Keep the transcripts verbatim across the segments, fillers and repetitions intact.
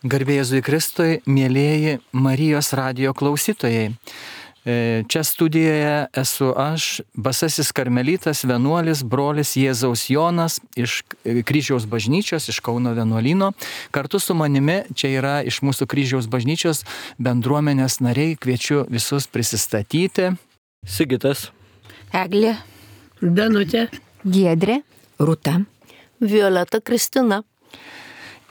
Garbė Jėzui Kristui, mėlėjai Marijos radijo klausytojai. Čia studijoje esu aš, basasis karmelitas, vienuolis, brolis Jėzaus Jonas iš Kryžiaus bažnyčios, iš Kauno vienuolyno. Kartu su manimi čia yra iš mūsų Kryžiaus bažnyčios bendruomenės nariai. Kviečiu visus prisistatyti. Sigitas, Eglė, Danutė, Giedrė, Rūta, Violeta, Kristina.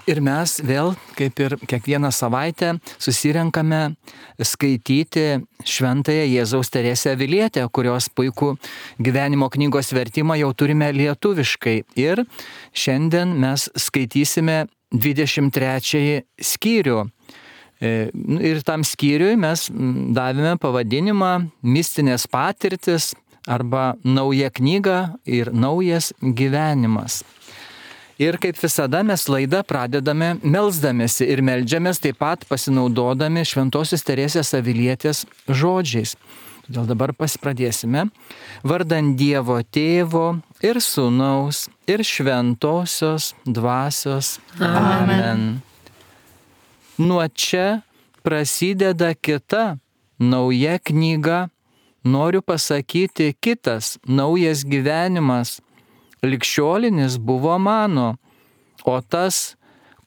Ir mes vėl, kaip ir kiekvieną savaitę, susirenkame skaityti šventąją Jėzaus Teresę Avilietę, kurios puikų gyvenimo knygos vertimą jau turime lietuviškai. Ir šiandien mes skaitysime dvidešimt trečiąjį skyrių. Ir tam skyriui mes davėme pavadinimą Mistinės patirtis arba Nauja knyga ir naujas gyvenimas. Ir kaip visada mes laidą pradedame melsdamėsi ir meldžiamės taip pat pasinaudodami Šventosios Teresės Avilietės žodžiais. Todėl dabar pradėsime. Vardant Dievo Tėvo ir Sūnaus ir Šventosios Dvasios. Amen. Amen. Nuo čia prasideda kita nauja knyga. Noriu pasakyti kitas naujas gyvenimas. Ligšiolinis buvo mano, o tas,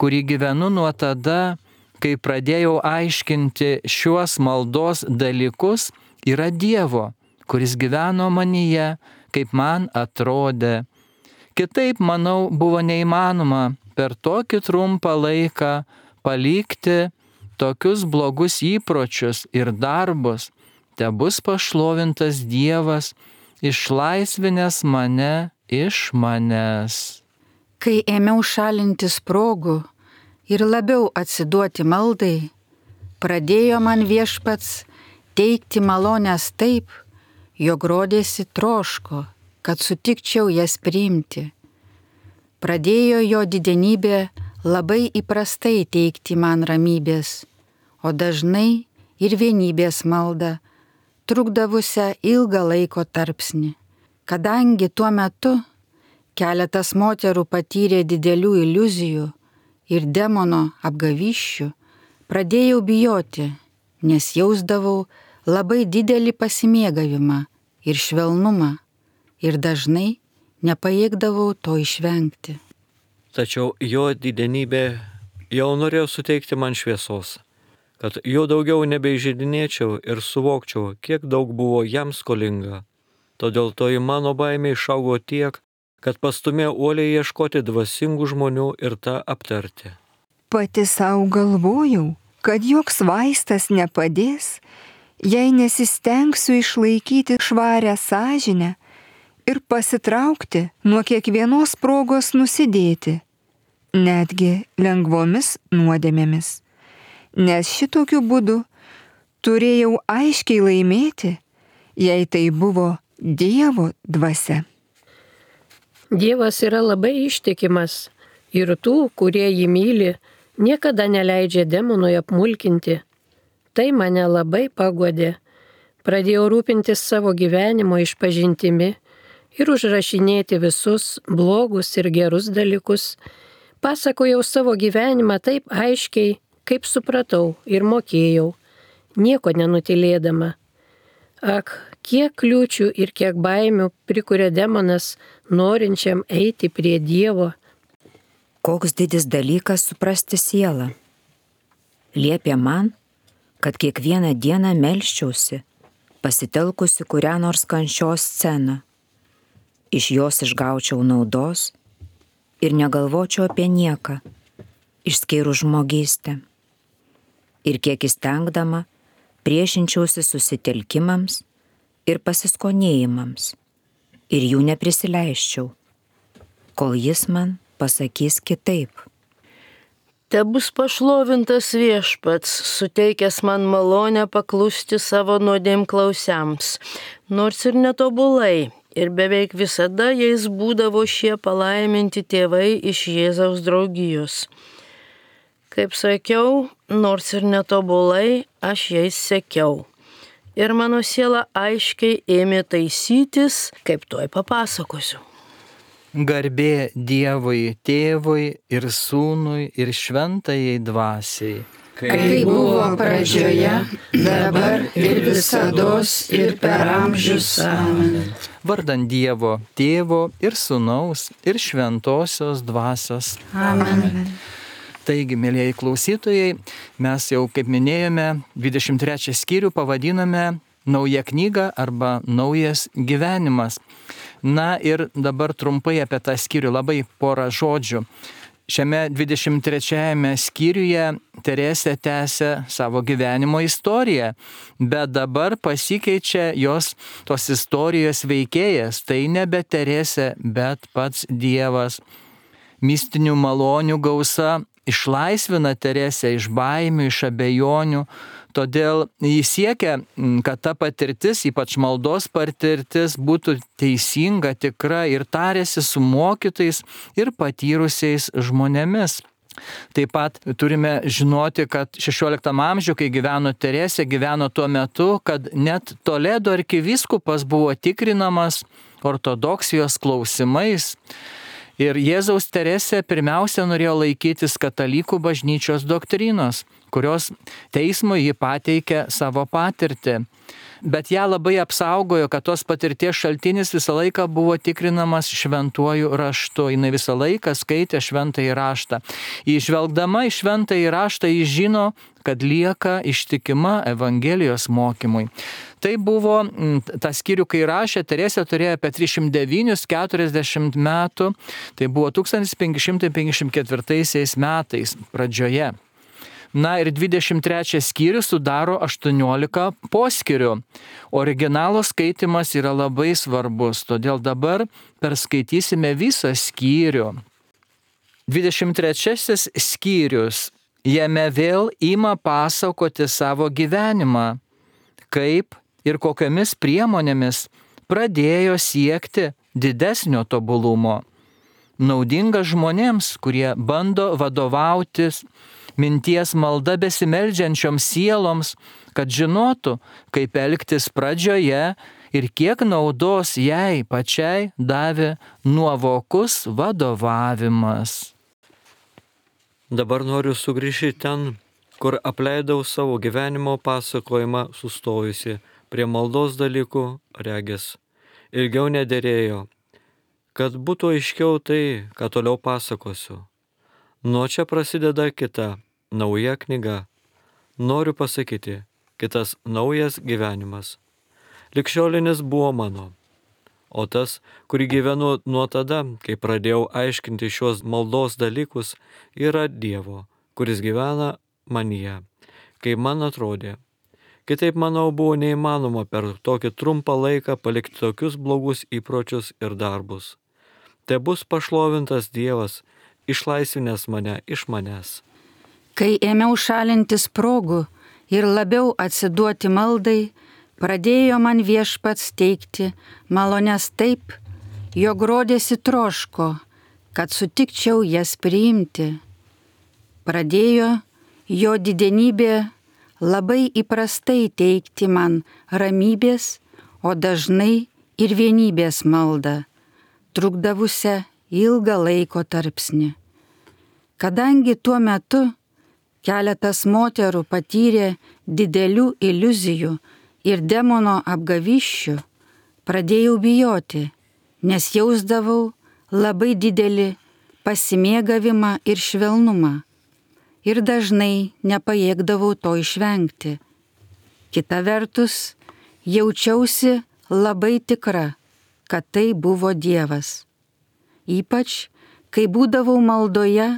kurį gyvenu nuo tada, kai pradėjau aiškinti šiuos maldos dalykus, yra Dievo, kuris gyveno manyje, kaip man atrodė. Kitaip, manau, buvo neįmanoma per tokį trumpą laiką palikti tokius blogus įpročius ir darbus. Tebus pašlovintas Dievas, išlaisvinęs mane iš manęs. Kai ėmiau šalinti sprogų ir labiau atsiduoti maldai, pradėjo man Viešpats teikti malonės taip, jog rodėsi troško, kad sutikčiau jas priimti. Pradėjo jo didenybė labai įprastai teikti man ramybės, o dažnai ir vienybės maldą, trukdavusią ilgą laiko tarpsnį. Kadangi tuo metu keletas moterų patyrė didelių iliuzijų ir demono apgavysčių, pradėjau bijoti, nes jausdavau labai didelį pasimėgavimą ir švelnumą ir dažnai nepajėgdavau to išvengti. tačiau jo didenybė jau norėjo suteikti man šviesos, kad jo daugiau nebeižeidinėčiau ir suvokčiau, kiek daug buvo jam skolinga. Todėl toji mano baimė išaugo tiek, kad pastumė uoliai ieškoti dvasingų žmonių ir tą aptarti. Pati savo galvojau, kad joks vaistas nepadės, jei nesistengsiu išlaikyti švarę sąžinę ir pasitraukti nuo kiekvienos progos nusidėti, netgi lengvomis nuodėmėmis. Nes šitokiu būdu turėjau aiškiai laimėti, jei tai buvo Dievo dvasia. Dievas yra labai ištikimas ir tų, kurie jį myli, niekada neleidžia demonui apmulkinti. Tai mane labai paguodė. Pradėjau rūpintis savo gyvenimo išpažintimi ir užrašinėti visus blogus ir gerus dalykus. Pasakojau savo gyvenimą taip aiškiai, kaip supratau ir mokėjau, nieko nenutilėdama. Ak, kiek kliūčių ir kiek baimių prikuria demonas norinčiam eiti prie Dievo. Koks didis dalykas suprasti sielą. Liepė man, kad kiekvieną dieną melsčiausi, pasitelkusi kurią nors kančios sceną. Iš jos išgaučiau naudos ir negalvočiau apie nieką, išskyrus žmogystę. Ir kiek įstengdama, priešinčiausi susitelkimams ir pasiskonėjimams ir jų neprisileisčiau, kol jis man pasakys kitaip. Tebus pašlovintas Viešpats, suteikęs man malonę paklusti savo nuodėmklausiams, nors ir netobulai, ir beveik visada jais būdavo šie palaiminti tėvai iš Jėzaus draugijos. Kaip sakiau, nors ir netobulai, aš jais sekiau. Ir mano siela aiškiai ėmė taisytis, kaip tuoj papasakosiu. Garbė Dievui Tėvui ir Sūnui ir Šventajai Dvasiai. Kai buvo pradžioje, dabar ir visados ir per amžius. Amen. Vardant Dievo Tėvo ir Sūnaus ir Šventosios Dvasios. Amen. Taigi, mėlyjei klausytojai, mes jau, kaip minėjome, dvidešimt trečią skyrių pavadiname Nauja knyga arba Naujas gyvenimas. Na ir dabar trumpai apie tą skyrių, labai porą žodžių. Šiame dvidešimt trečiajame skyriuje Teresė tęsia savo gyvenimo istoriją, bet dabar pasikeičia jos tos istorijos veikėjas. Tai nebe Teresė, bet pats Dievas. Mistinių malonių gausa išlaisvina Teresę iš baimių, iš abejonių. Todėl jis siekia, kad ta patirtis, ypač maldos patirtis, būtų teisinga, tikra ir tarėsi su mokytais ir patyrusiais žmonėmis. Taip pat turime žinoti, kad šešioliktam amžiuje, kai gyveno Teresė, gyveno tuo metu, kad net Toledo arkivyskupas buvo tikrinamas ortodoksijos klausimais. Ir Jėzaus Teresė pirmiausia norėjo laikytis katalikų bažnyčios doktrinos, kurios teismui ji pateikė savo patirtį. Bet ją labai apsaugojo, kad tos patirties šaltinis visą laiką buvo tikrinamas šventuoju raštu. Jis visą laiką skaitė šventąjį raštą. Įžvelgdama į šventąjį raštą, jis žino, kad lieka ištikima Evangelijos mokymui. Tai buvo, tą skyrių, kai rašė, Teresė turėjo apie trisdešimt devynis keturiasdešimt metų, tai buvo tūkstantis penki šimtai penkiasdešimt ketvirtaisiais metais pradžioje. Na ir dvidešimt trečias skyrius sudaro aštuoniolika poskyrių. Originalo skaitimas yra labai svarbus, todėl dabar perskaitysime visą skyrių. dvidešimt trečiasis skyrius. Jame vėl ima pasakoti savo gyvenimą, kaip ir kokiamis priemonėmis pradėjo siekti didesnio tobulumo. Naudinga žmonėms, kurie bando vadovautis minties malda besimeldžiančioms sieloms, kad žinotų, kaip elgtis pradžioje ir kiek naudos jai pačiai davė nuovokus vadovavimas. Dabar noriu sugrįžti ten, kur apleidau savo gyvenimo pasakojimą sustojusi prie maldos dalykų, regis. Ilgiau nederėjo, kad būtų aiškiau tai, ką toliau pasakosiu. Nuo čia prasideda kita, nauja knyga. Noriu pasakyti, kitas naujas gyvenimas. Ligšiolinis buvo mano, o tas, kurį gyvenu nuo tada, kai pradėjau aiškinti šios maldos dalykus, yra Dievo, kuris gyvena manyje, kaip man atrodė. Kitaip, manau, buvo neįmanoma per tokį trumpą laiką palikti tokius blogus įpročius ir darbus. Te bus pašlovintas Dievas, išlaisvinęs mane iš manęs. Kai ėmiau šalintis progų ir labiau atsiduoti maldai, pradėjo man Viešpats teikti malonės taip, jog rodėsi troško, kad sutikčiau jas priimti. Pradėjo jo didenybė labai įprastai teikti man ramybės, o dažnai ir vienybės maldą, trukdavusią ilgą laiko tarpsnį. Kadangi tuo metu keletas moterų patyrė didelių iliuzijų ir demono apgaviščių, pradėjau bijoti, nes jausdavau labai didelį pasimėgavimą ir švelnumą ir dažnai nepajėgdavau to išvengti. Kita vertus, jaučiausi labai tikra, kad tai buvo Dievas. Ypač, kai būdavau maldoje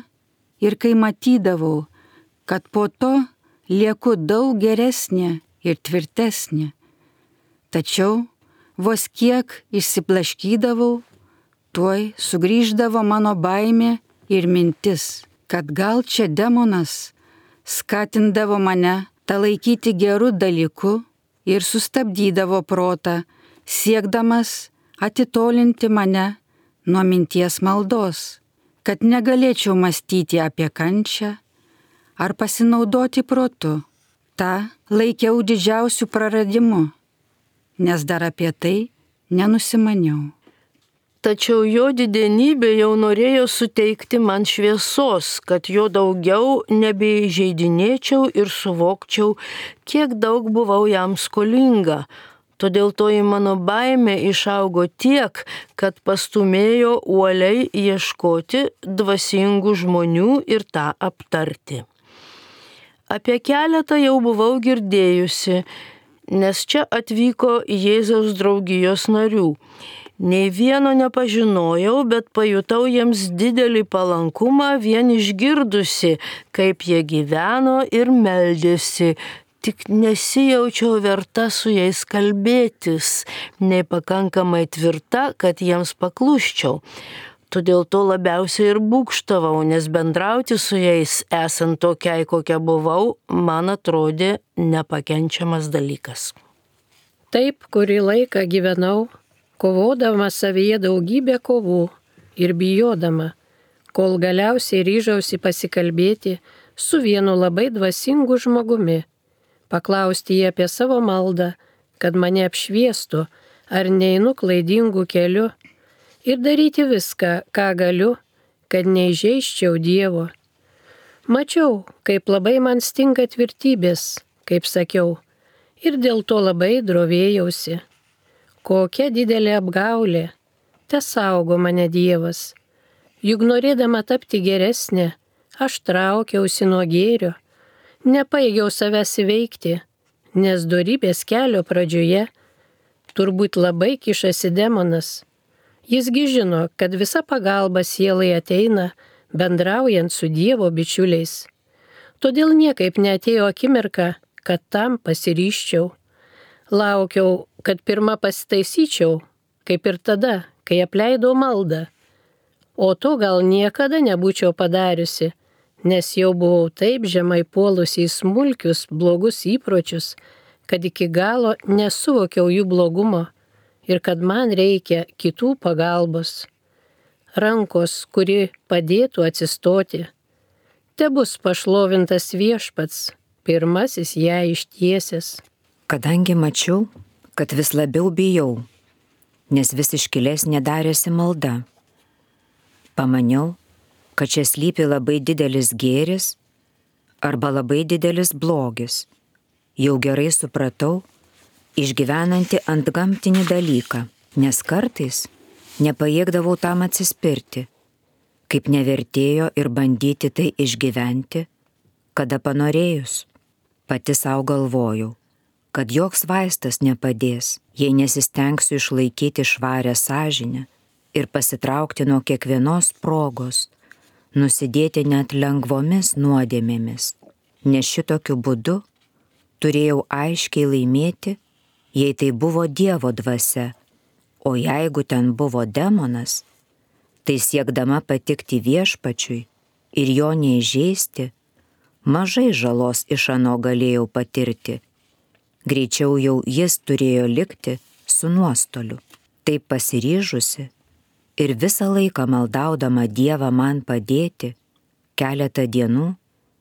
ir kai matydavau, kad po to lieku daug geresnė ir tvirtesnė. Tačiau vos kiek išsiblaškydavau, tuoj sugrįždavo mano baimė ir mintis, kad gal čia demonas skatindavo mane tą laikyti gerų dalykų ir sustabdydavo protą, siekdamas atitolinti mane nuo minties maldos, kad negalėčiau mąstyti apie kančią ar pasinaudoti protu. Ta laikiau didžiausių praradimu, nes dar apie tai nenusimaniau. Tačiau jo didenybė jau norėjo suteikti man šviesos, kad jo daugiau nebeįžeidinėčiau ir suvokčiau, kiek daug buvau jam skolinga. Todėl toji mano baimė išaugo tiek, kad pastumėjo uoliai ieškoti dvasingų žmonių ir tą aptarti. Apie keletą jau buvau girdėjusi, nes čia atvyko Jėzaus draugijos narių. Nei vieno nepažinojau, bet pajutau jiems didelį palankumą vien išgirdusi, kaip jie gyveno ir meldėsi. Tik nesijaučiau verta su jais kalbėtis, nei pakankamai tvirta, kad jiems pakluščiau. Todėl to labiausiai ir būgštavau, nes bendrauti su jais, esant tokiai, kokia buvau, man atrodė nepakenčiamas dalykas. Taip, kurį laiką gyvenau, kovodama savyje daugybę kovų ir bijodama, kol galiausiai ryžausi pasikalbėti su vienu labai dvasingu žmogumi, paklausti jį apie savo maldą, kad mane apšviestų, ar neinu klaidingų keliu, ir daryti viską, ką galiu, kad neįžeisčiau Dievo. Mačiau, kaip labai man stinga tvirtybės, kaip sakiau, ir dėl to labai drovėjausi. Kokia didelė apgaulė, te saugo mane Dievas. Juk norėdama tapti geresnė, aš traukiausi nuo gėrio, nepajėgiau savęs įveikti, nes dorybės kelio pradžioje turbūt labai kišasi demonas. Jisgi žino, kad visa pagalba sielai ateina, bendraujant su Dievo bičiuliais. Todėl niekaip neatėjo akimirka, kad tam pasiryščiau. Laukiau, kad pirmą pasitaisyčiau, kaip ir tada, kai apleidau maldą. O to gal niekada nebūčiau padariusi, nes jau buvau taip žemai puolusi į smulkius, blogus įpročius, kad iki galo nesuvokiau jų blogumo ir kad man reikia kitų pagalbos. Rankos, kuri padėtų atsistoti. Tebus pašlovintas Viešpats, pirmasis ją ištiesęs. Kadangi mačiau, kad vis labiau bijau, nes vis iškilesnė darėsi malda. Pamaniau, kad čia slypi labai didelis gėris arba labai didelis blogis. Jau gerai supratau, išgyvenanti antgamtinį dalyką, nes kartais nepajėgdavau tam atsispirti, kaip nevertėjo ir bandyti tai išgyventi, kada panorėjus. Pati savo galvojau, kad joks vaistas nepadės, jei nesistengsiu išlaikyti švarę sąžinę ir pasitraukti nuo kiekvienos progos, nusidėti net lengvomis nuodėmėmis, nes šitokiu būdu turėjau aiškiai laimėti, jei tai buvo Dievo dvasia, o jeigu ten buvo demonas, tai siekdama patikti Viešpačiui ir jo neįžeisti, mažai žalos iš ano galėjau patirti. Greičiau jau jis turėjo likti su nuostoliu. Taip pasiryžusi ir visą laiką maldaudama Dievą man padėti, keletą dienų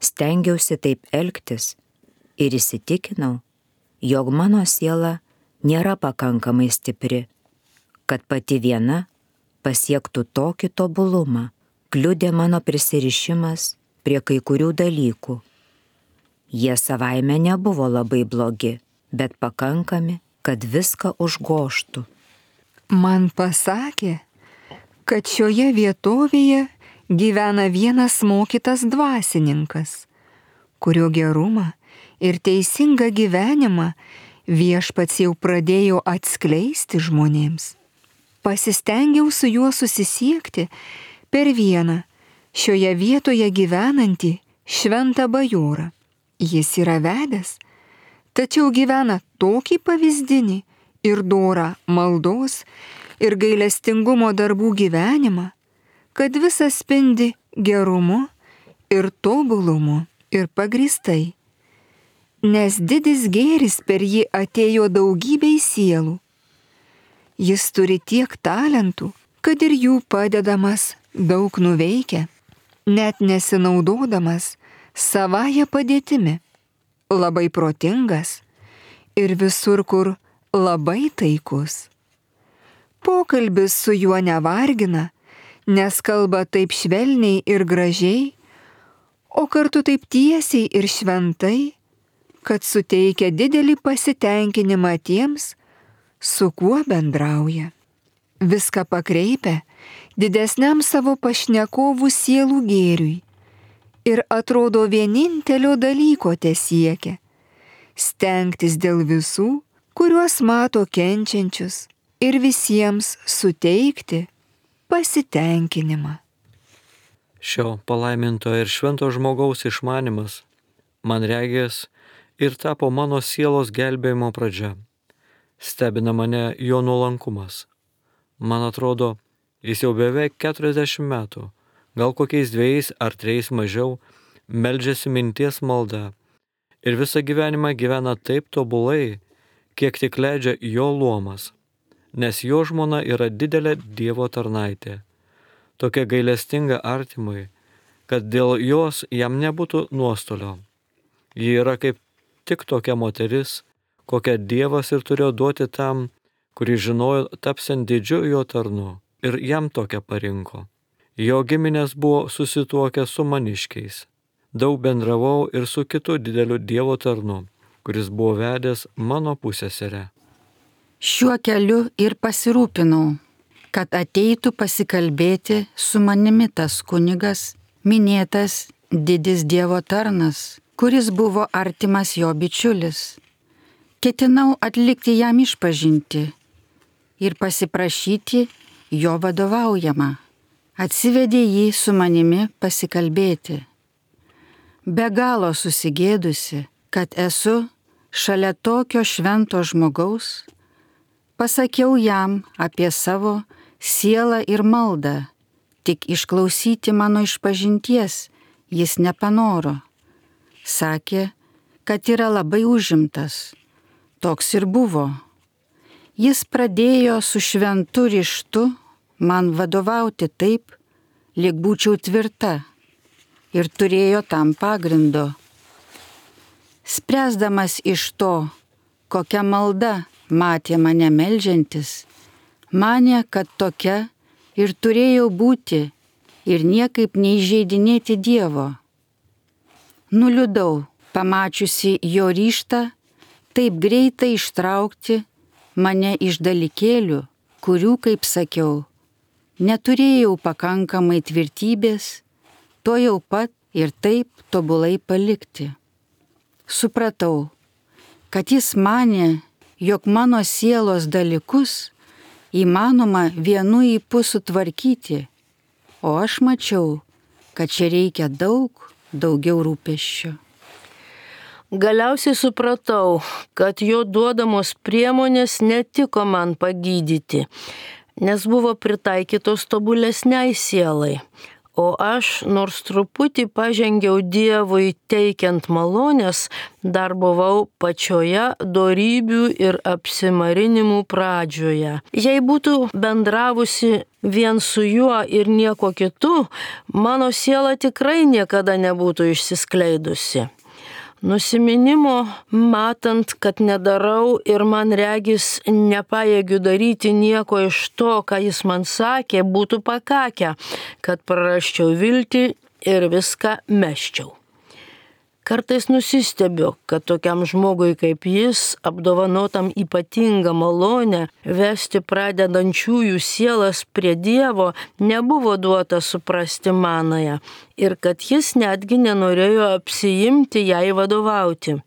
stengiausi taip elgtis ir įsitikinau, jog mano siela nėra pakankamai stipri, kad pati viena pasiektų tokį tobulumą. Kliudė mano prisirišimas prie kai kurių dalykų. Jie savaime nebuvo labai blogi, bet pakankami, kad viską užgoštų. Man pasakė, kad šioje vietovėje gyvena vienas mokytas dvasininkas, kurio gerumą ir teisingą gyvenimą Viešpats jau pradėjo atskleisti žmonėms. Pasistengiau su juo susisiekti per vieną šioje vietoje gyvenantį šventą bajorą. Jis yra vedęs, tačiau gyvena tokį pavyzdinį ir dorą maldos ir gailestingumo darbų gyvenimą, kad visas spindi gerumu ir tobulumu ir pagrįstai. Nes didis gėris per jį atėjo daugybei sielų. Jis turi tiek talentų, kad ir jų padedamas daug nuveikia, net nesinaudodamas savąją padėtimi. Labai protingas ir visur, kur labai taikus. Pokalbis su juo nevargina, nes kalba taip švelniai ir gražiai, o kartu taip tiesiai ir šventai, kad suteikia didelį pasitenkinimą tiems, su kuo bendrauja. Viską pakreipia didesniam savo pašnekovų sielų gėriui ir atrodo vienintelio dalyko tesiekia – stengtis dėl visų, kuriuos mato kenčiančius, ir visiems suteikti pasitenkinimą. Šio palaiminto ir švento žmogaus išmanimas, man regės, ir tapo mano sielos gelbėjimo pradžia. Stebina mane jo nuolankumas. Man atrodo, jis jau beveik keturiasdešimt metų, gal kokiais dviejais ar trejais mažiau, meldžiasi minties malda ir visą gyvenimą gyvena taip tobulai, kiek tik leidžia jo luomas, nes jo žmona yra didelė Dievo tarnaitė, tokia gailestinga artimui, kad dėl jos jam nebūtų nuostolio. Ji yra kaip tik tokia moteris, kokią Dievas ir turėjo duoti tam, kurį žinojo tapsiant didžiu jo tarnu, ir jam tokią parinko. Jo giminės buvo susituokę su maniškiais. Daug bendravau ir su kitu dideliu Dievo tarnu, kuris buvo vedęs mano pusseserę. Šiuo keliu ir pasirūpinau, kad ateitų pasikalbėti su manimi tas kunigas, minėtas didis Dievo tarnas, kuris buvo artimas jo bičiulis. Ketinau atlikti jam išpažinti ir pasiprašyti jo vadovaujamą. Atsivedė jį su manimi pasikalbėti. Be galo susigėdusi, kad esu šalia tokio švento žmogaus, pasakiau jam apie savo sielą ir maldą, tik išklausyti mano išpažinties jis nepanoro. Sakė, kad yra labai užimtas. Toks ir buvo. Jis pradėjo su šventu ryžtu man vadovauti taip, lyg būčiau tvirta, ir turėjo tam pagrindo. Spręsdamas iš to, kokia malda matė mane meldžiantis, manė, kad tokia ir turėjau būti ir niekaip neįžeidinėti Dievo. Nuliūdau, pamačiusi jo ryžtą taip greitai ištraukti mane iš dalykėlių, kurių, kaip sakiau, neturėjau pakankamai tvirtybės, to jau pat ir taip tobulai palikti. Supratau, kad jis manė, jog mano sielos dalykus įmanoma vienu ypu sutvarkyti, o aš mačiau, kad čia reikia daug, daugiau rūpesčio. Galiausiai supratau, kad jo duodamos priemonės netiko man pagydyti, nes buvo pritaikytos tobulesniai sielai, o aš, nors truputį pažengiau Dievui teikiant malonės, dar buvau pačioje dorybių ir apsimarinimų pradžioje. Jei būtų bendravusi vien su juo ir nieko kitu, mano siela tikrai niekada nebūtų išsiskleidusi. Nusiminimo, matant, kad nedarau ir man regis nepajėgiu daryti nieko iš to, ką jis man sakė, būtų pakakę, kad prarasčiau viltį ir viską mesčiau. Kartais nusistebiu, kad tokiam žmogui kaip jis, apdovanotam ypatingą malonę, vesti pradedančiųjų sielas prie Dievo, nebuvo duota suprasti manąją ir kad jis netgi nenorėjo apsiimti jai vadovauti.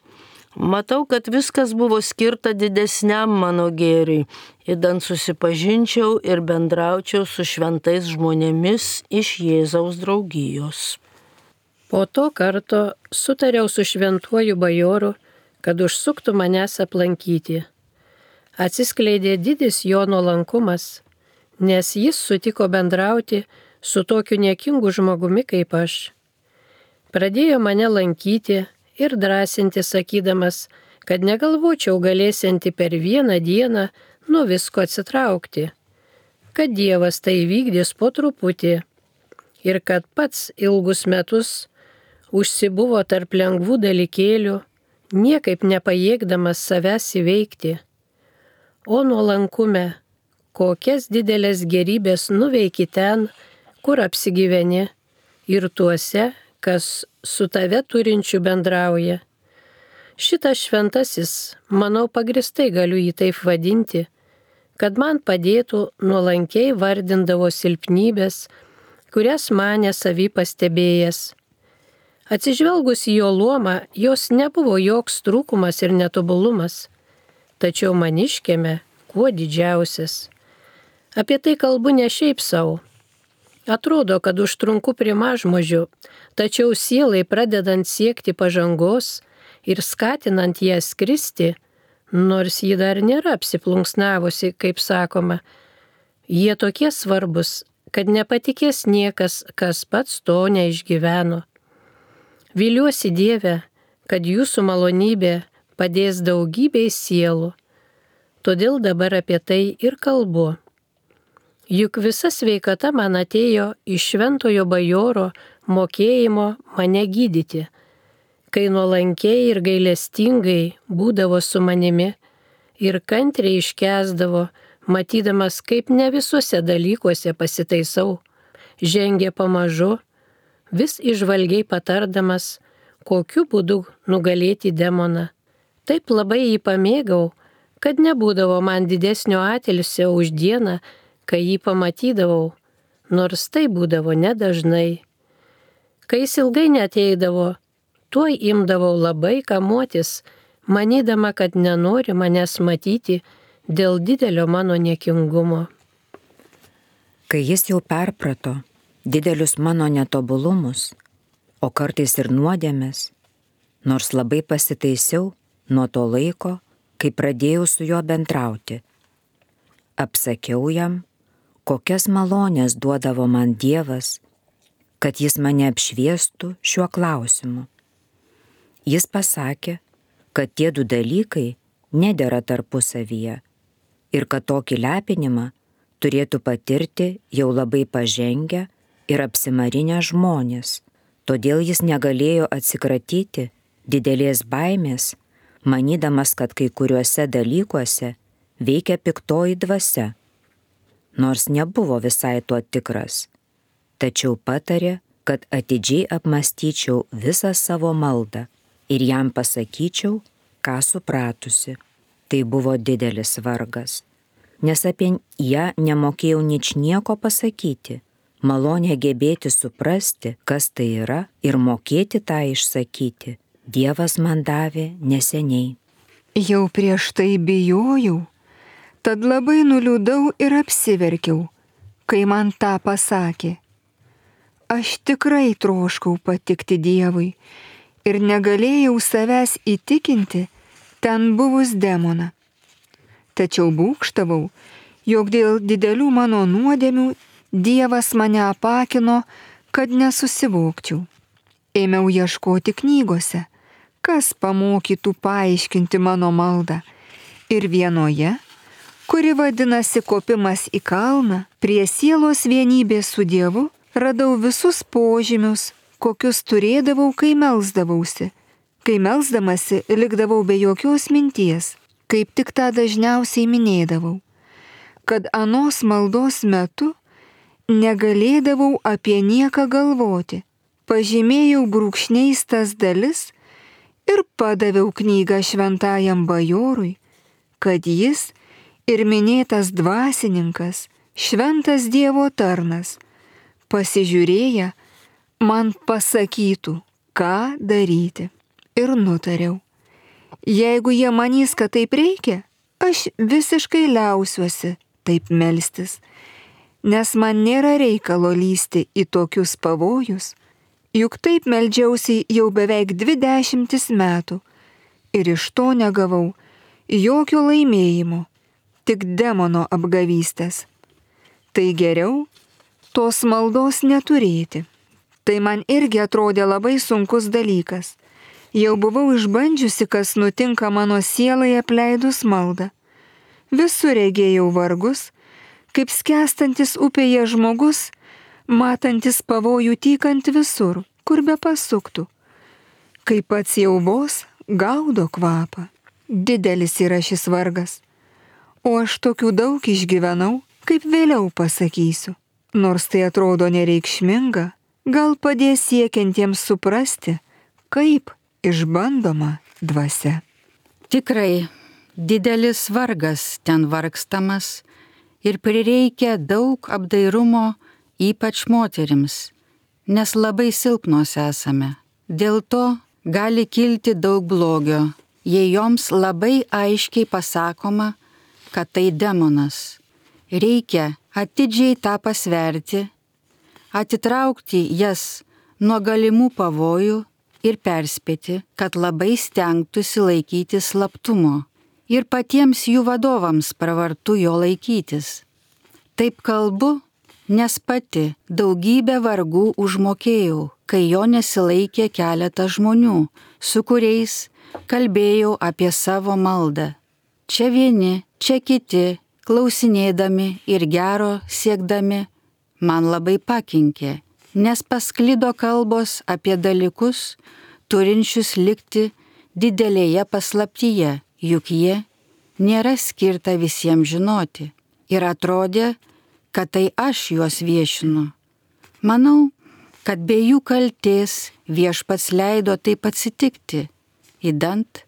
Matau, kad viskas buvo skirta didesniam mano gėriui, idant susipažinčiau ir bendraučiau su šventais žmonėmis iš Jėzaus draugijos. Po to karto sutariau su šventuoju bajoru, kad užsuktų manęs aplankyti. Atsiskleidė didis jo nuolankumas, nes jis sutiko bendrauti su tokiu niekingu žmogumi kaip aš. Pradėjo mane lankyti ir drąsinti, sakydamas, kad negalvočiau galėsianti per vieną dieną nuo visko atsitraukti, kad Dievas tai vykdys po truputį ir kad pats ilgus metus užsibuvo tarp lengvų dalykėlių, niekaip nepajėgdamas savęs įveikti. O nuolankume, kokias didelės gerybės nuveiki ten, kur apsigyveni, ir tuose, kas su tave turinčiu bendrauja. Šitas šventasis, manau, pagristai galiu jį taip vadinti, kad man padėtų nuolankiai vardindavo silpnybės, kurias mane savy pastebėjęs. Atsižvelgus į jo luomą, jos nebuvo joks trūkumas ir netobulumas, tačiau maniškėme kuo didžiausias. Apie tai kalbu ne šiaip savo. Atrodo, kad užtrunku prie mažmožių, tačiau sielai pradedant siekti pažangos ir skatinant ją skristi, nors ji dar nėra apsiplunksnavusi, kaip sakoma, jie tokie svarbus, kad nepatikės niekas, kas pats to neišgyveno. Viliuosi Dieve, kad jūsų malonybė padės daugybei sielų, todėl dabar apie tai ir kalbu. Juk visa sveikata man atėjo iš šventojo bajoro mokėjimo mane gydyti, kai nuolankiai ir gailestingai būdavo su manimi ir kantriai iškęsdavo, matydamas, kaip ne visuose dalykuose pasitaisau, žengė pamažu, vis išvalgiai patardamas, kokiu būdu nugalėti demoną. Taip labai jį pamėgau, kad nebūdavo man didesnio atilsio už dieną, kai jį pamatydavau, nors tai būdavo nedažnai. Kai jis ilgai neateidavo, tuoj imdavau labai kamuotis, manydama, kad nenori manęs matyti dėl didelio mano niekingumo. Kai jis jau perprato didelius mano netobulumus, o kartais ir nuodėmes, nors labai pasitaisiau nuo to laiko, kai pradėjau su juo bendrauti. Apsakiau jam, kokias malonės duodavo man Dievas, kad jis mane apšviestų šiuo klausimu. Jis pasakė, kad tie du dalykai nedera tarpusavyje ir kad tokį lepinimą turėtų patirti jau labai pažengę ir apsimarinę žmonės. Todėl jis negalėjo atsikratyti didelės baimės, manydamas, kad kai kuriuose dalykuose veikia piktoji dvasia, nors nebuvo visai tuo tikras. Tačiau patarė, kad atidžiai apmąstyčiau visą savo maldą ir jam pasakyčiau, ką supratusi. Tai buvo didelis vargas, nes apie ją nemokėjau ničnieko pasakyti. Malonė gebėti suprasti, kas tai yra ir mokėti tą išsakyti, Dievas man davė neseniai. Jau prieš tai bijojau, tad labai nuliūdau ir apsiverkiau, kai man tą pasakė. Aš tikrai troškau patikti Dievui ir negalėjau savęs įtikinti ten buvus demoną. Tačiau būgštavau, jog dėl didelių mano nuodėmių Dievas mane apakino, kad nesusivokčiau. Ėmiau ieškoti knygose, kas pamokytų paaiškinti mano maldą. Ir vienoje, kuri vadinasi Kopimas į kalną, prie sielos vienybės su Dievu, radau visus požymius, kokius turėdavau, kai melsdavausi. Kai melsdamasi, likdavau be jokios minties, kaip tik tą dažniausiai minėdavau, kad anos maldos metu negalėdavau apie nieką galvoti. Pažymėjau brūkšniais tas dalis ir padaviau knygą šventajam bajorui, kad jis ir minėtas dvasininkas, šventas Dievo tarnas, pasižiūrėję, man pasakytų, ką daryti. Ir nutariau, jeigu jie manys, kad taip reikia, aš visiškai liausiuosi taip melstis, nes man nėra reikalo lysti į tokius pavojus, juk taip meldžiausi jau beveik dvi dešimtis metų ir iš to negavau jokio laimėjimo, tik demono apgavystės. Tai geriau tos maldos neturėti. Tai man irgi atrodė labai sunkus dalykas. Jau buvau išbandžiusi, kas nutinka mano sielai apleidus maldą. Visur regėjau vargus, kaip skęstantis upėje žmogus, matantis pavojų tykant visur, kur be pasuktų. Kai pats jau vos gaudo kvapą. Didelis yra šis vargas. O aš tokių daug išgyvenau, kaip vėliau pasakysiu. Nors tai atrodo nereikšminga, gal padės siekiantiems suprasti, kaip išbandoma dvasia. Tikrai, didelis vargas ten vargstamas ir prireikia daug apdairumo, ypač moterims, nes labai silpnos esame. Dėl to gali kilti daug blogio, jei joms labai aiškiai pasakoma, kad tai demonas. Reikia atidžiai tą pasverti, atitraukti jas nuo galimų pavojų ir perspėti, kad labai stengtųsi laikyti slaptumo ir patiems jų vadovams pravartu jo laikytis. Taip kalbu, nes pati daugybę vargų užmokėjau, kai jo nesilaikė keletas žmonių, su kuriais kalbėjau apie savo maldą. Čia vieni, čia kiti, klausinėdami ir gero siekdami, man labai pakenkė, nes pasklido kalbos apie dalykus, turinčius likti didelėje paslaptyje, juk jie nėra skirta visiems žinoti. Ir atrodė, kad tai aš juos viešinu. Manau, kad be jų kaltės Viešpats leido taip atsitikti, idant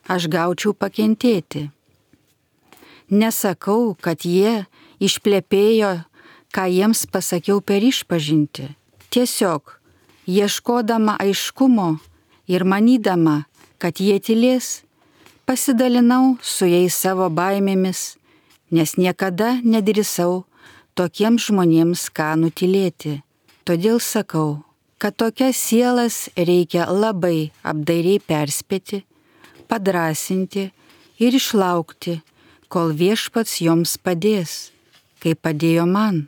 aš gaučiau pakentėti. Nesakau, kad jie išplepėjo, ką jiems pasakiau per išpažintį. Tiesiog, ieškodama aiškumo ir manydama, kad jie tylės, pasidalinau su jais savo baimėmis, nes niekada nedrįsau tokiems žmonėms ką nutylėti. Todėl sakau, kad tokias sielas reikia labai apdairiai perspėti, padrasinti ir išlaukti, kol Viešpats joms padės, kaip padėjo man.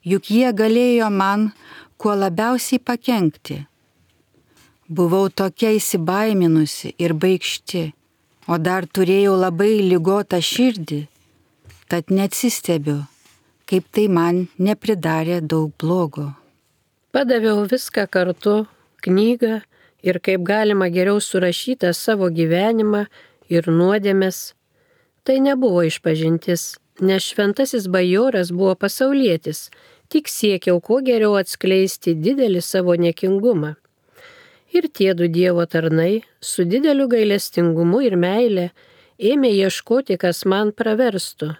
Juk jie galėjo man kuo labiausiai pakenkti. Buvau tokia įsibaiminusi ir baikšti, o dar turėjau labai ligotą širdį, tad neatsistebiu, kaip tai man nepridarė daug blogo. Padaviau viską kartu, knygą ir kaip galima geriau surašytą savo gyvenimą ir nuodėmes. Tai nebuvo išpažintis, nes šventasis bajoras buvo pasaulietis, tik siekiau kuo geriau atskleisti didelį savo niekingumą. Ir tie du Dievo tarnai su dideliu gailestingumu ir meile ėmė ieškoti, kas man praverstų.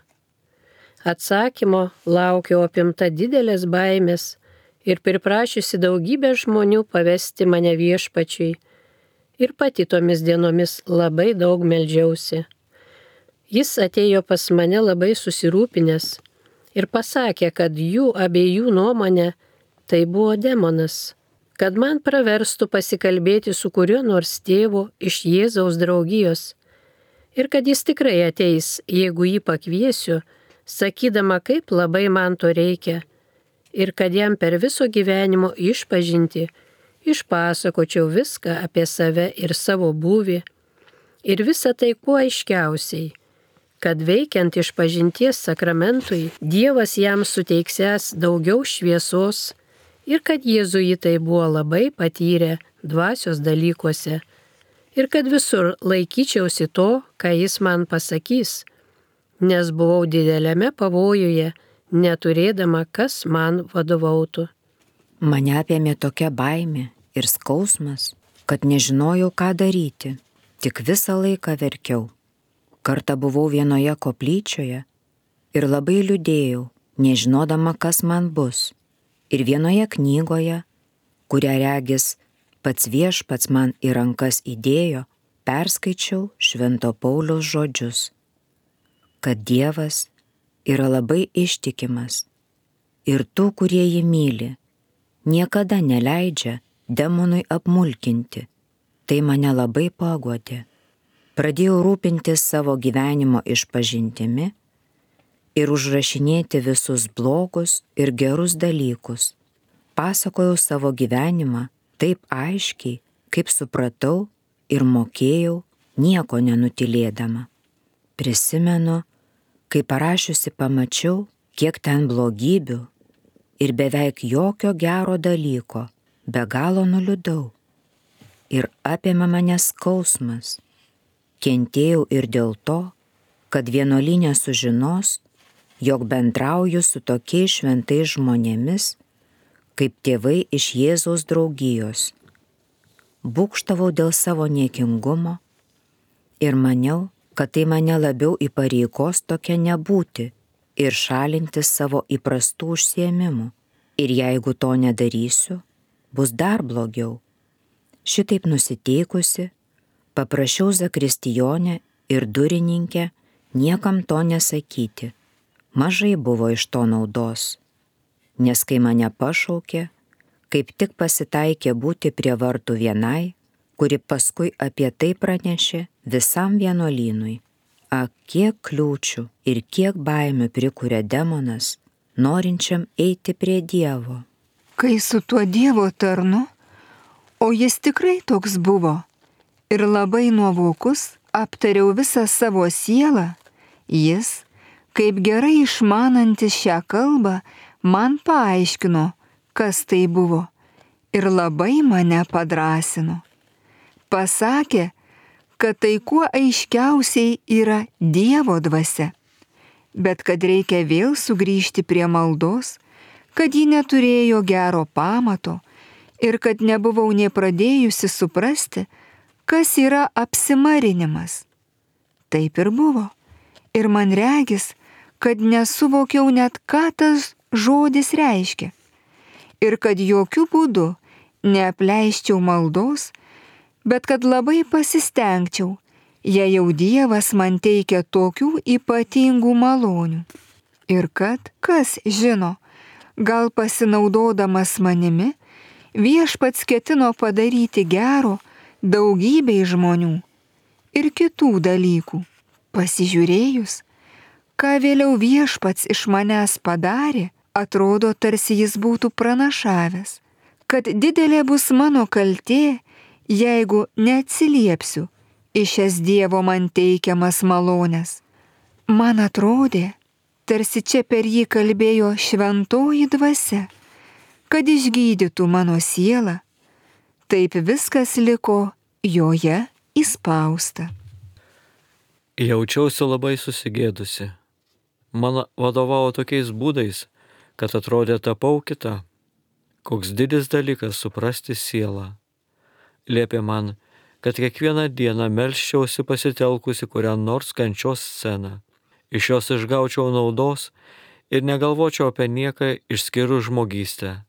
Atsakymo laukiau apimta didelės baimės ir priprašiusi daugybę žmonių pavesti mane Viešpačiui. Ir pati tomis dienomis labai daug meldžiausi. Jis atėjo pas mane labai susirūpinęs ir pasakė, kad jų abiejų nuomonė tai buvo demonas, kad man praverstų pasikalbėti su kuriuo nors tėvu iš Jėzaus draugijos ir kad jis tikrai ateis, jeigu jį pakviesiu, sakydama, kaip labai man to reikia ir kad jam per viso gyvenimo išpažinti išpasakočiau viską apie save ir savo būvį ir visą tai kuo aiškiausiai, kad veikiant išpažinties sakramentui Dievas jam suteiksęs daugiau šviesos ir kad jėzuitai buvo labai patyrę dvasios dalykuose ir kad visur laikyčiausi to, ką jis man pasakys, nes buvau dideliame pavojuje, neturėdama, kas man vadovautų. Mane apėmė tokia baimė ir skausmas, kad nežinojau, ką daryti, tik visą laiką verkiau. Kartą buvau vienoje koplyčioje ir labai liūdėjau, nežinodama, kas man bus. Ir vienoje knygoje, kurią regis pats Viešpats man į rankas įdėjo, perskaičiau Švento Pauliaus žodžius, kad Dievas yra labai ištikimas ir tų, kurie jį myli, niekada neleidžia demonui apmulkinti. Tai mane labai paguodė. Pradėjau rūpintis savo gyvenimo išpažintimi ir užrašinėti visus blogus ir gerus dalykus. Pasakojau savo gyvenimą taip aiškiai, kaip supratau ir mokėjau, nieko nenutylėdama. Prisimenu, kai parašiusi pamačiau, kiek ten blogybių ir beveik jokio gero dalyko, be galo nuliūdau. Ir apėmė mane skausmas. Kentėjau ir dėl to, kad vienuolyne sužinos, jog bendrauju su tokiais šventais žmonėmis, kaip tėvai iš Jėzaus draugijos. Būkštavau dėl savo niekingumo ir maniau, kad tai mane labiau įpareigos tokia nebūti ir šalintis savo įprastų užsiėmimų. Ir jeigu to nedarysiu, bus dar blogiau. Šitaip nusiteikusi, paprašiau zakristijonę ir durininkę niekam to nesakyti. Mažai buvo iš to naudos, nes kai mane pašaukė, kaip tik pasitaikė būti prie vartų vienai, kuri paskui apie tai pranešė visam vienuolynui. Ak, kiek kliūčių ir kiek baimių prikuria demonas, norinčiam eiti prie Dievo. Kai su tuo Dievo tarnu, o jis tikrai toks buvo, ir labai nuovokus aptariau visą savo sielą, jis, kaip gerai išmanantis šią kalbą, man paaiškino, kas tai buvo, ir labai mane padrąsino. Pasakė, kad tai kuo aiškiausiai yra Dievo dvasia, bet kad reikia vėl sugrįžti prie maldos, kad ji neturėjo gero pamato ir kad nebuvau nė pradėjusi suprasti, kas yra apsimarinimas. Taip ir buvo, ir man regis, kad nesuvokiau net, ką tas žodis reiškia, ir kad jokių būdų neapleiščiau maldos, bet kad labai pasistengčiau, jei jau Dievas man teikia tokių ypatingų malonių. Ir kad, kas žino, gal pasinaudodamas manimi, viešpats ketino padaryti gero daugybei žmonių ir kitų dalykų. Pasižiūrėjus, ką vėliau viešpats iš manęs padarė, atrodo, tarsi jis būtų pranašavęs, kad didelė bus mano kaltė, jeigu neatsiliepsiu į šias Dievo man teikiamas malonės. Man atrodė, tarsi čia per jį kalbėjo šventoji dvasia, kad išgydytų mano sielą. Taip viskas liko joje įspausta. Jaučiausi labai susigėdusi. Man vadovavo tokiais būdais, kad atrodė tapau kita. Koks didis dalykas suprasti sielą. Liepė man, kad kiekvieną dieną melsčiausi pasitelkusi kurią nors kančios sceną. Iš jos išgaučiau naudos ir negalvočiau apie nieką išskyrus žmogystę.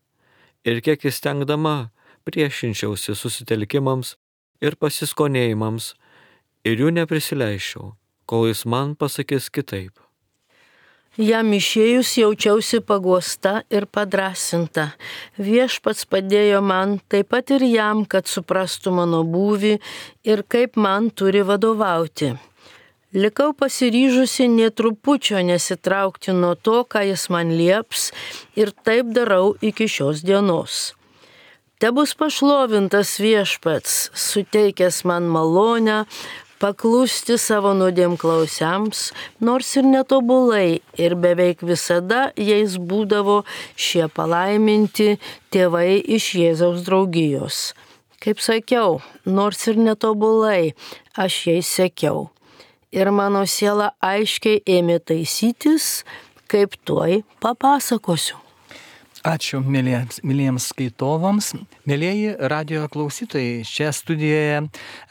Ir kiek įstengdama priešinčiausi susitelkimams ir pasiskonėjimams ir jų neprisileisčiau, kol jis man pasakys kitaip. Jam išėjus jaučiausi paguosta ir padrasinta. Viešpats padėjo man, taip pat ir jam, kad suprastų mano būvį ir kaip man turi vadovauti. Likau pasiryžusi nė trupučio nesitraukti nuo to, ką jis man lieps, ir taip darau iki šios dienos. Tebus pašlovintas viešpats, suteikęs man malonę, paklusti savo nuodėmklausiams, nors ir netobulai, ir beveik visada jais būdavo šie palaiminti tėvai iš Jėzaus draugijos. Kaip sakiau, nors ir netobulai, aš jais sekiau. Ir mano siela aiškiai ėmė taisytis, kaip tuoj papasakosiu. Ačiū mėlyjams, mėlyjams skaitovams. Mėlyjeji radijo klausytojai, čia studijoje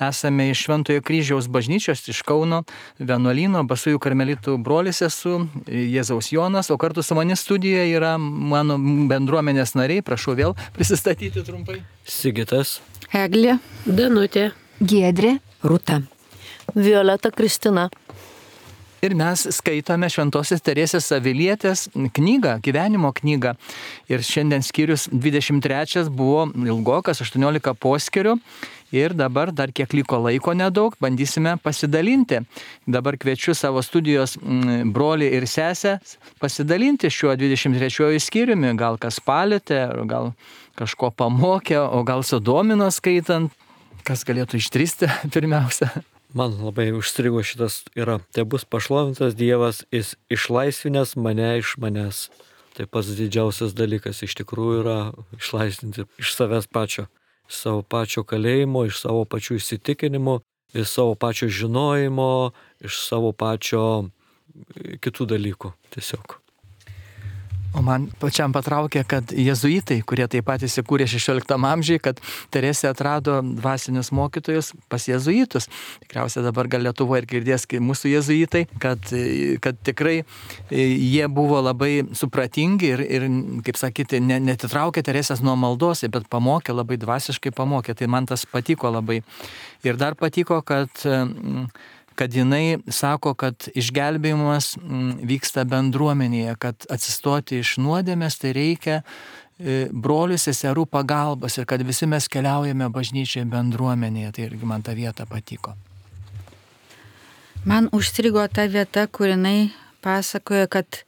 esame iš Šventojo Kryžiaus bažnyčios iš Kauno vienuolyno, Basųjų karmelitų brolis esu, Jėzaus Jonas, o kartu su manim studijoje yra mano bendruomenės nariai, prašau vėl prisistatyti trumpai. Sigitas, Eglė, Danutė, Giedrė, Rūta, Violeta Kristina. Ir mes skaitome Šventosios Teresės Avilietės knygą, gyvenimo knygą. Ir šiandien skyrius dvidešimt trečias buvo ilgokas, aštuoniolika poskirių. Ir dabar dar kiek liko laiko nedaug, bandysime pasidalinti. Dabar kviečiu savo studijos brolį ir sesę pasidalinti šiuo dvidešimt trečiuoju skyriumi. Gal kas palėtė, gal kažko pamokė, o gal sudomino skaitant. Kas galėtų ištristi pirmiausia? man labai užstrigo šitas yra, tai bus pašlovintas Dievas, jis išlaisvinęs mane iš manęs. Tai pats didžiausias dalykas iš tikrųjų yra išlaisvinti iš savęs pačio, iš savo pačio kalėjimo, iš savo pačių įsitikinimų iš savo pačio žinojimo, iš savo pačio kitų dalykų tiesiog. O man pačiam patraukė, kad jėzuitai, kurie taip pat įsikūrė šešioliktam amžiui, kad Teresė atrado dvasinius mokytojus pas jėzuitus. Tikriausiai dabar gal Lietuvoje ir girdės mūsų jėzuitai, kad, kad tikrai jie buvo labai supratingi ir, ir kaip sakyti, netitraukė Teresės nuo maldos, bet pamokė, labai dvasiškai pamokė. Tai man tas patiko labai. Ir dar patiko, kad kad jinai sako, kad išgelbėjimas vyksta bendruomenėje, kad atsistoti iš nuodėmės tai reikia brolių seserų pagalbos ir kad visi mes keliaujame bažnyčioje bendruomenėje. Tai irgi man ta vieta patiko. Man užstrigo ta vieta, kur jinai pasakoja, kad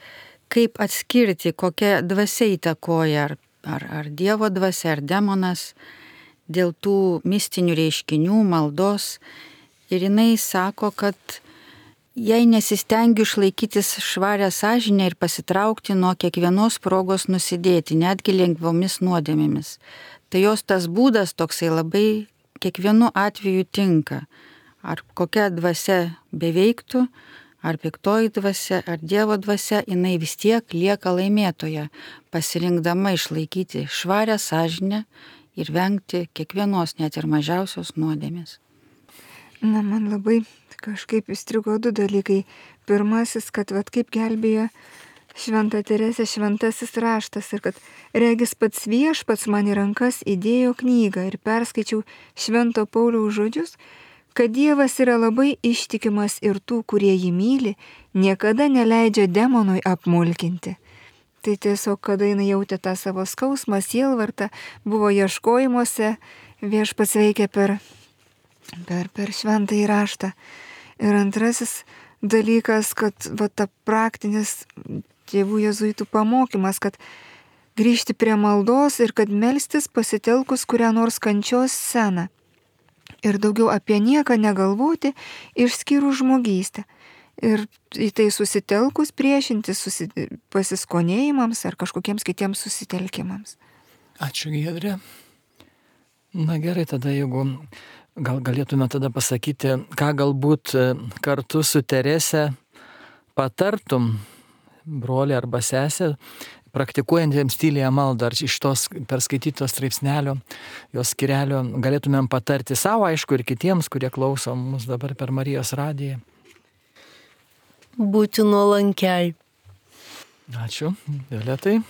kaip atskirti, kokia dvasia įtakoja, ar, ar, ar Dievo dvasia, ar demonas, dėl tų mistinių reiškinių, maldos. Ir jinai sako, kad jei nesistengiu išlaikytis švarę sąžinę ir pasitraukti nuo kiekvienos progos nusidėti, netgi lengvomis nuodėmėmis, tai jos tas būdas toksai labai kiekvienu atveju tinka. Ar kokia dvasia beveiktų, ar piktoji dvasia, ar Dievo dvasia, jinai vis tiek lieka laimėtoja, pasirinkdama išlaikyti švarę sąžinę ir vengti kiekvienos, net ir mažiausios nuodėmės. Na, man labai kažkaip įstrigo du dalykai. Pirmasis, kad vat kaip gelbėjo Šventą Teresę šventasis raštas ir kad regis pats Viešpats man į rankas įdėjo knygą ir perskaičiau Švento Pauliaus žodžius, kad Dievas yra labai ištikimas ir tų, kurie jį myli, niekada neleidžia demonui apmulkinti. Tai tiesiog, kada jinai jautė tą savo skausmą, sielvartą, buvo ieškojimuose, Viešpats veikia per Per, per šventąjį raštą. Ir antrasis dalykas, kad va, ta praktinis tėvų jėzuitų pamokymas, kad grįžti prie maldos ir kad melstis pasitelkus kurią nors kančios sceną. Ir daugiau apie nieką negalvoti, išskyrus žmogystę. Ir į tai susitelkus priešintis susi... pasiskonėjimams ar kažkokiems kitiems susitelkimams. Ačiū, Giedrė. Na gerai, tada jeigu gal galėtume tada pasakyti, ką galbūt kartu su Terese patartum brolį arba sesę, praktikuojantiems tylėje maldą, ar iš tos perskaitytos straipsnelio, jos skirelio galėtumėm patarti savo, aišku, ir kitiems, kurie klauso mus dabar per Marijos radiją. Būti nuolankiai. Ačiū, Violetai.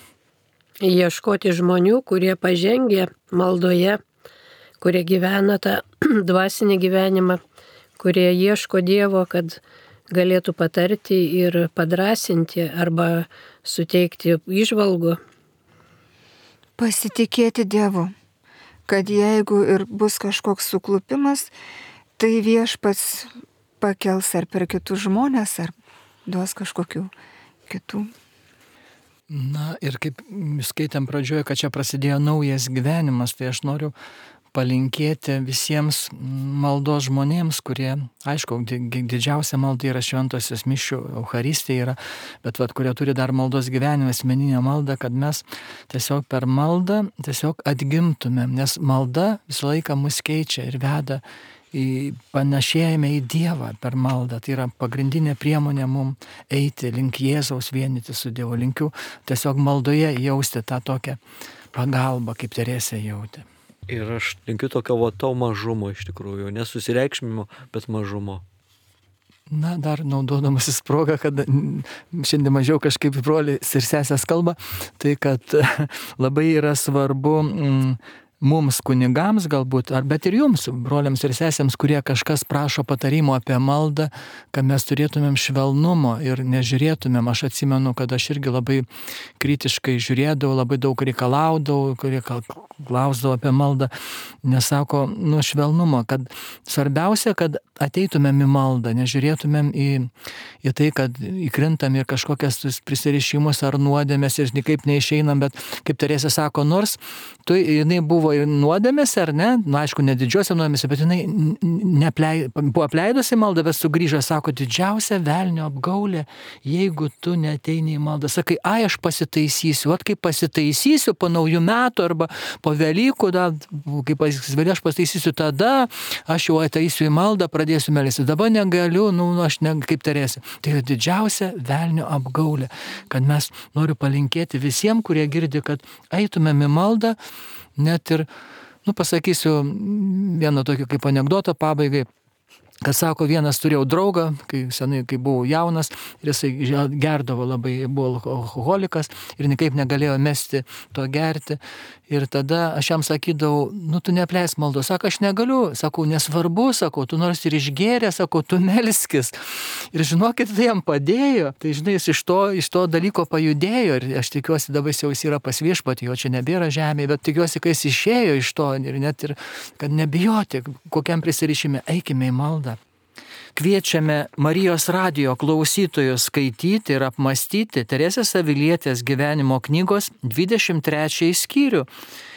Ieškoti žmonių, kurie pažengė maldoje, kurie gyvena tą dvasinį gyvenimą, kurie ieško Dievo, kad galėtų patarti ir padrasinti arba suteikti įžvalgų. Pasitikėti Dievu, kad jeigu ir bus kažkoks suklupimas, tai Viešpats pakels ar per kitus žmonės, ar duos kažkokių kitų. Na ir kaip skaitėm pradžioje, kad čia prasidėjo naujas gyvenimas, tai aš noriu palinkėti visiems maldos žmonėms, kurie, aišku, didžiausia malda yra šventosios mišių, Eucharistija yra, bet vat, kurie turi dar maldos gyvenimą, asmeninę maldą, kad mes tiesiog per maldą tiesiog atgimtumėm, nes malda visą laiką mus keičia ir veda į panašėjimą į Dievą per maldą. Tai yra pagrindinė priemonė mums eiti link Jėzaus, vienyti su Dievu. Linkiu tiesiog maldoje jausti tą tokią pagalbą, kaip Teresė jautė. Ir aš linkiu tokio va to mažumo iš tikrųjų, nesusireikšmimo, bet mažumo. Na, dar naudodamasis progą, kad šiandien mažiau kažkaip brolis ir sesės kalba, tai kad labai yra svarbu mm, mums kunigams galbūt, ar bet ir jums, broliams ir sesėms, kurie kažkas prašo patarimo apie maldą, kad mes turėtumėm švelnumo ir nežiūrėtumėm. Aš atsimenu, kad aš irgi labai kritiškai žiūrėdavau, labai daug reikalaudavau, kurie klausdavo apie maldą, nesako, nu, švelnumo, kad svarbiausia, kad ateitumėm į maldą, nežiūrėtumėm į, į tai, kad įkrintam ir kažkokias prisirišimus ar nuodėmės ir nikaip neišeinam, bet kaip Teresė sako, nors tu, jinai buvo buvo ir nuodėmėse, ar ne, nu aišku, ne didžiuose nuodėmėse, bet jinai neplei, buvo apleidusi maldą, bet sugrįžo, sako, didžiausia velnio apgaulė, jeigu tu neteini į maldą. Sakai, ai, aš pasitaisysiu, at kaip pasitaisysiu po naujų metų arba po Velykų, da, kaip vėliau aš pasitaisysiu, tada aš jau ateisiu į maldą, pradėsiu melstis. Dabar negaliu, nu, aš ne, kaip tarėsi. Tai yra didžiausia velnio apgaulė, kad mes noriu palinkėti visiems, kurie girdi, kad eitumėm į maldą, net ir, nu, pasakysiu vieną tokį kaip anekdotą pabaigai, kad sako, vienas turėjau draugą, kai senai, kai buvau jaunas, ir jisai gerdavo labai, buvo alkoholikas ir niekaip negalėjo mesti to gerti. Ir tada aš jam sakydavau, nu, tu neapleisk maldos. Sako, aš negaliu. Sakau, nesvarbu, sakau, tu nors ir išgėrė, sakau, tu melskis. Ir žinokit, tai jam padėjo. Tai žinai, jis iš to, iš to dalyko pajudėjo. Ir aš tikiuosi, dabar jau jis yra pas viešpatį, jo čia nebėra žemėje, bet tikiuosi, kad jis išėjo iš to ir net ir, kad nebijoti, kokiam prisirišime, eikime į maldą. Kviečiame Marijos radijo klausytojus skaityti ir apmastyti Teresės Avilietės gyvenimo knygos dvidešimt trečiąjį skyrių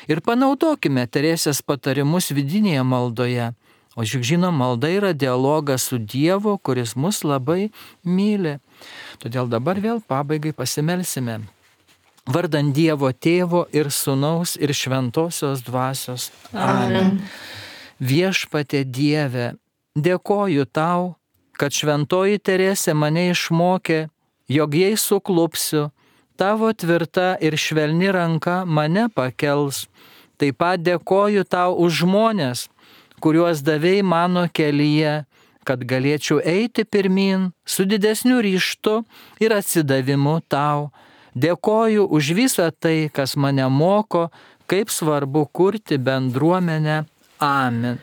ir panaudokime Teresės patarimus vidinėje maldoje. O juk žinoma, malda yra dialogas su Dievu, kuris mus labai myli. Todėl dabar vėl pabaigai pasimelsime. Vardant Dievo Tėvo ir Sūnaus ir Šventosios Dvasios. Amen. Viešpatie Dieve, dėkoju tau, kad šventoji Teresė mane išmokė, jog jei suklupsiu, tavo tvirta ir švelni ranka mane pakels. Taip pat dėkoju tau už žmones, kuriuos davei mano kelyje, kad galėčiau eiti pirmin su didesniu ryžtu ir atsidavimu tau. Dėkoju už visą tai, kas mane moko, kaip svarbu kurti bendruomenę. Amen.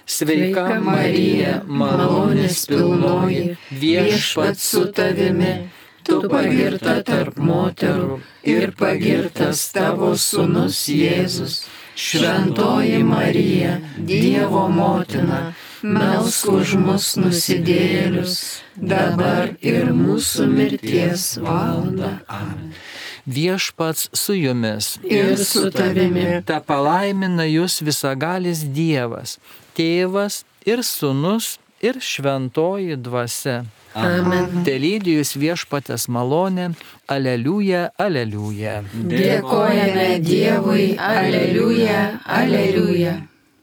Sveika Marija, malonės pilnoji, viešpats su tavimi, tu pagirta tarp moterų ir pagirtas tavo sūnus Jėzus. Šventoji Marija, Dievo motina, melsk už mus nusidėjėlius, dabar ir mūsų mirties valandą. Amen. Viešpats su jumis ir su tavimi. Ta palaimina jūs visagalis Dievas, Tėvas ir Sūnus ir Šventoji Dvasia. Amen. Telydi jūs viešpatės malonė. Aleliuja, aleliuja. Dėkojame Dievui, aleliuja, aleliuja.